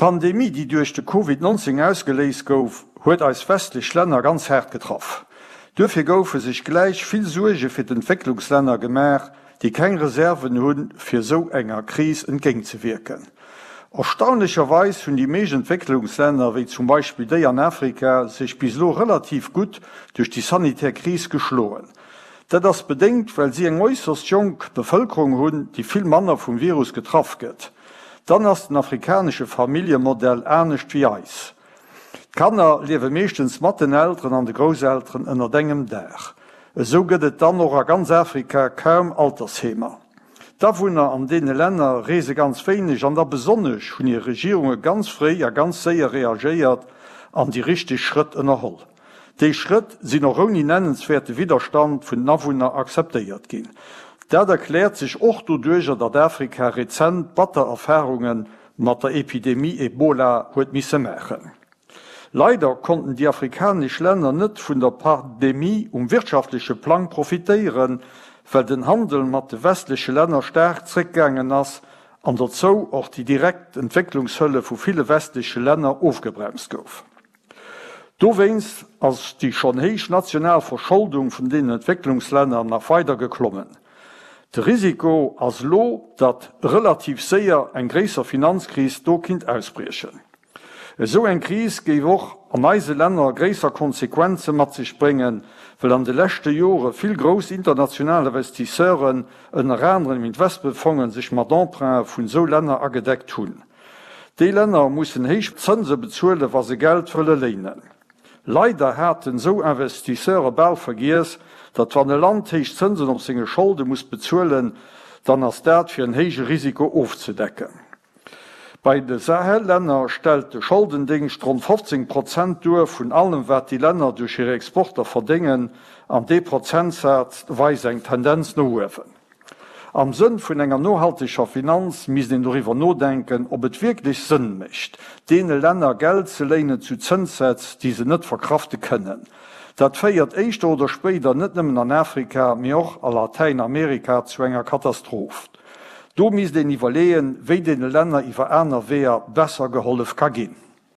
D'Pandemie, déi duerch de Covid 19 ausgeléist gouf, huet eis westlech Länner ganz haart getraff. Duerfir goufe sech gläich vill Suerge fir d'Entwécklungslänner gemaach, déi keng Reserven hunn, fir esou enger Kris entgéintzewierken. Erstaunlecherweis hunn déi meescht Entwécklungslänner, wéi zum Beispill déi an Afrika, sech bis elo relativ gutt duerch déi sanitär Kris geschloen. Dat ass bedéngt, well si eng äusserst jonk Bevëlkerung hunn, déi vill manner vum Virus getraff gëtt. Dann ass den afrikanesche Familljemodell anescht wéi eis. D'Kanner liewe meeschtens mat den Elteren an de Grousselteren ënnert engem Daach. Esou gëtt et dann och a ganz Afrika kaum Altersheemer. D'Awunner an deene Länner reese ganz wéineg an da besonnesch hunn hir Regierunge ganz fréi a ganz séier reagéiert an déi richteg Schrëtt ënnerholl. Déi Schrëtt sinn och ouni nennenswäerte Widderstand vun den Awunner akzeptéiert ginn. Dat erkläert sech och doduercher, datt Afrika rezent batter Erfarunge mat der Epidemie Ebola huet misse maachen. Leider konnten déi afrikanesch Länner net vun der Pandemie um wirtschaftleche Plang profitéieren, well den Handel mat de westleche Länner staark zréckgaangen ass an dozou och déi direkt Entwécklungshëllef vu ville westleche Länner ofgebremst gouf. Dowéinst ass déi schonn héich national Verscholdung vun deenen Entwécklungslänner nach weider geklommen. De Risiko ass elo, datt relativ séier eng gréisser Finanzkris do kinnt ausbriechen. Esou eng Kris géif och an eise Länner gréisser Konsequenze mat sech bréngen, well an de leschte Jore vill grouss international Investisseuren, ënner anerem Investmentfongen, sech mat Emprunte vun esou Länner agedeckt hunn. Déi Länner mussen héich Zënse bezuelen, wa se Geld wëlle léinen. Leider haten esou Investisseure bal vergiess, datt wann e Land héich Zënsen op senge Scholde muss bezuelen, dann ass dat fir en héije Risiko ofzedecken. Bei de Sahel-Länner stellt de Scholdendéngscht ronn 15 Prozent duer vun allem wat déi Länner duerch hir Exporter verdéngen, an dee Prozentsaz weist eng Tendenz no uewen. Am Sënn vun enger nohalteger Finanz misst een doriwwer nodenken, ob et wierklech Sënn mécht, deene Länner Geld ze léinen zu Zënssätz, déi se net verkrafte kënnen. Dat féiert éischter oder spéider net nëmmen an Afrika, mee och a Latäinamerika zu enger Katastroph. Do misst een iwwerleeën, wéi deene Länner iwwer aner Weeër besser gehollef ka ginn.